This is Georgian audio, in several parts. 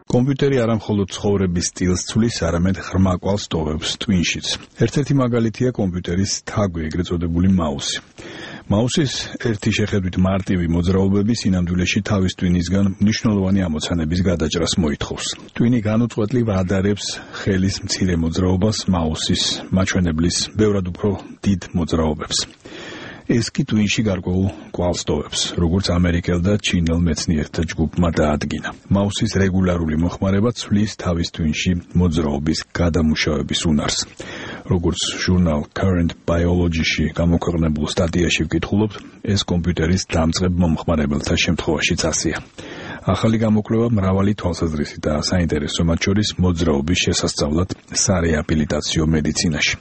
კომპიუტერი არა მხოლოდ ცხოვრების სტილს ცვლის, არამედ ღრმა კვალს ტოვებს ტვინშიც. ერთ-ერთი მაგალითია კომპიუტერის თაგვი, ეგრეთ წოდებული მაუსი. მაუსის ერთი შეხედვით მარტივი მოძრაობები სინამდვილეში თავის ტვინისგან მნიშვნელოვანი ამოცანების გადაჭრას მოითხოვს. ტვინი განუწყვეტლივ ადარებს ხელის მცირე მოძრაობას მაუსის მაჩვენებლის ბევრად უფრო დიდ მოძრაობებს. ეს კი ტვინში გარკვეულ კვალს ტოვებს, როგორც ამერიკელ და ჩინელ მეცნიერთა ჯგუფმა დაადგინა. მაუსის რეგულარული მოხმარება ცვლის თავის ტვინში მოძრაობის გადამუშავების უნარს. როგორც ჟურნალ Current Biology-ში გამოქვეყნებულ სტატიაში ვკითხულობთ, ეს კომპიუტერის დამწყებ მომხმარებელთა შემთხვევაშიც ასეა. ახალი გამოკვლევა მრავალი თვალსაზრისით და საინტერესო, მათ შორის მოძრაობის შესასწავლად სარეაბილიტაციო მედიცინაში.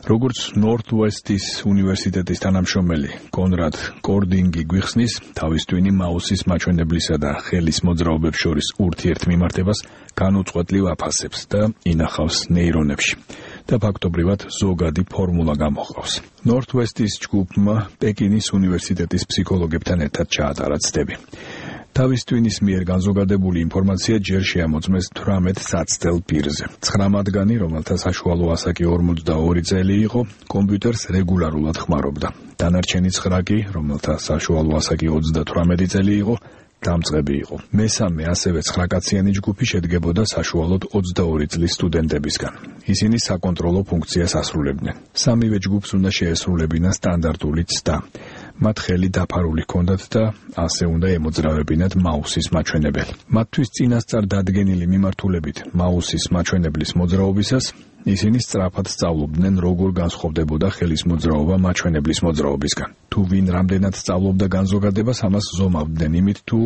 როგორც Northwest-ის უნივერსიტეტის თანამშრომელი კონრად კორდინგი გვიხსნის, თავის ტვინი მაუსის მაჩვენებლისა და ხელის მოძრაობებს შორის ურთიერთმიმართებას განუწყვეტლივ აფასებს და ინახავს ნეირონებში და ფაქტობრივად ზოგადი ფორმულა გამოჰყავს. Northwest-ის ჯგუფმა პეკინის უნივერსიტეტის ფსიქოლოგებთან ერთად ჩაატარა ცდები. თავის ტვინის მიერ განზოგადებული ინფორმაცია ჯერ შეამოწმეს 18 საცდელ პირზე. 9 მათგანი, რომელთა საშუალო ასაკი 42 წელი იყო, კომპიუტერს რეგულარულად ხმარობდა. დანარჩენი 9 კი, რომელთა საშუალო ასაკი 38 წელი იყო, დამწყები იყო. მესამე, ასევე 9 კაციანი ჯგუფი შედგებოდა საშუალოდ 22 წლის სტუდენტებისგან. ისინი საკონტროლო ფუნქციას ასრულებდნენ. სამივე ჯგუფს უნდა შეესრულებინა სტანდარტული ცდა. მათ ხელი დაფარული ჰქონდათ და ასე უნდა ემოძრავებინათ მაუსის მაჩვენებელი. მათთვის წინასწარ დადგენილი მიმართულებით მაუსის მაჩვენებლის მოძრაობისას ისინი სწრაფად სწავლობდნენ, როგორ განსხვავდებოდა ხელის მოძრაობა მაჩვენებლის მოძრაობისგან. თუ ვინ რამდენად სწავლობდა განზოგადებას, ამას ზომავდნენ იმით, თუ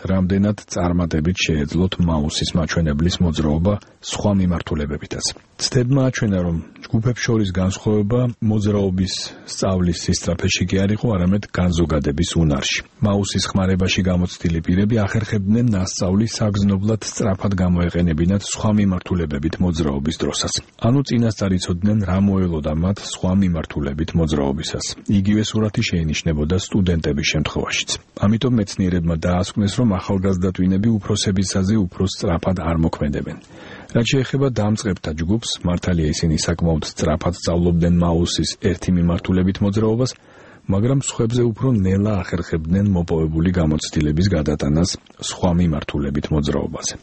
რამდენად წარმატებით შეეძლოთ მაუსის მაჩვენებლის მოძრაობა სხვა მიმართულებებითაც. ცდებმა აჩვენა, რომ ჯგუფებს შორის განსხვავება მოძრაობის სწავლის სისწრაფეში კი არ იყო, არამედ განზოგადების უნარში. მაუსის ხმარებაში გამოცდილი პირები ახერხებდნენ ნასწავლი საგრძნობლად სწრაფად გამოეყენებინათ სხვა მიმართულებებით მოძრაობის დროსაც. ანუ წინასწარ იცოდნენ, რა მოელოდა მათ სხვა მიმართულებით მოძრაობისას. იგივე სურათი შეინიშნებოდა სტუდენტების შემთხვევაშიც. ამიტომ მეცნიერებმა დაასკვნეს, რომ ახალგაზრდა ტვინები უფროსებისაზე უფრო სწრაფად არ მოქმედებენ. რაც შეეხება დამწყებთა ჯგუფს, მართალია ისინი საკმაოდ სწრაფად სწავლობდნენ მაუსის ერთი მიმართულებით მოძრაობას, მაგრამ სხვებზე უფრო ნელა ახერხებდნენ მოპოვებული გამოცდილების გადატანას სხვა მიმართულებით მოძრაობაზე.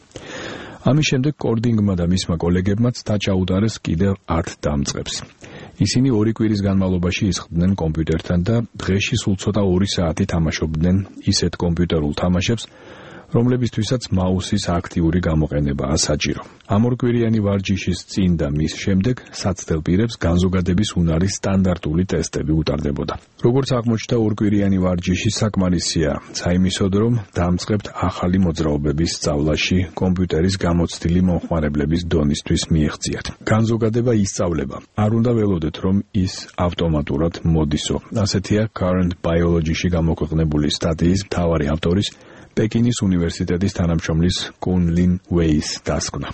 ამის შემდეგ კორდინგმა და მისმა კოლეგებმაც დაჭაუტარეს კიდევ 10 დამწყებს. ისინი 2 კვირის განმავლობაში ისხდნენ კომპიუტერთან და დღეში სულ ცოტა 2 საათი თამაშობდნენ ისეთ კომპიუტერულ თამაშებს, რომლებისთვისაც მაუსის აქტიური გამოყენებაა საჭირო. ამ 2 კვირიანი ვარჯიშის წინ და მის შემდეგ საცდელ პირებს განზოგადების უნარის სტანდარტული ტესტები უტარდებოდა. როგორც აღმოჩნდა, 2 კვირიანი ვარჯიში საკმარისია საიმისოდ, რომ დამწყებთ ახალი მოძრაობების სწავლაში კომპიუტერის გამოცდილი მომხმარებლების დონისთვის მიეღწიათ. განზოგადება ისწავლება. არ უნდა ველოდეთ, რომ ის ავტომატურად მოდისო. ასეთია Current Biology-ში გამოქვეყნებული სტატიის მთავარი ავტორის პეკინის უნივერსიტეტის თანამშრომლის კუნ ლინ ვეის დასკვნა.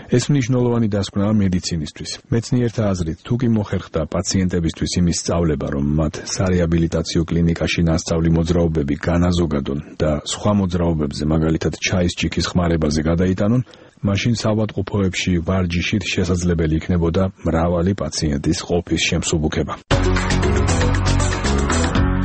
ეს მნიშვნელოვანი დასკვნაა მედიცინისთვის. მეცნიერთა აზრით, თუ კი მოხერხდა პაციენტებისთვის იმის სწავლება, რომ მათ სარეაბილიტაციო კლინიკაში ნასწავლი მოძრაობები განაზოგადონ და სხვა მოძრაობებზე, მაგალითად ჩაის ჭიქის ხმარებაზე გადაიტანონ, მაშინ საავადმყოფოებში ვარჯიშით შესაძლებელი იქნებოდა მრავალი პაციენტის ყოფის შემსუბუქება.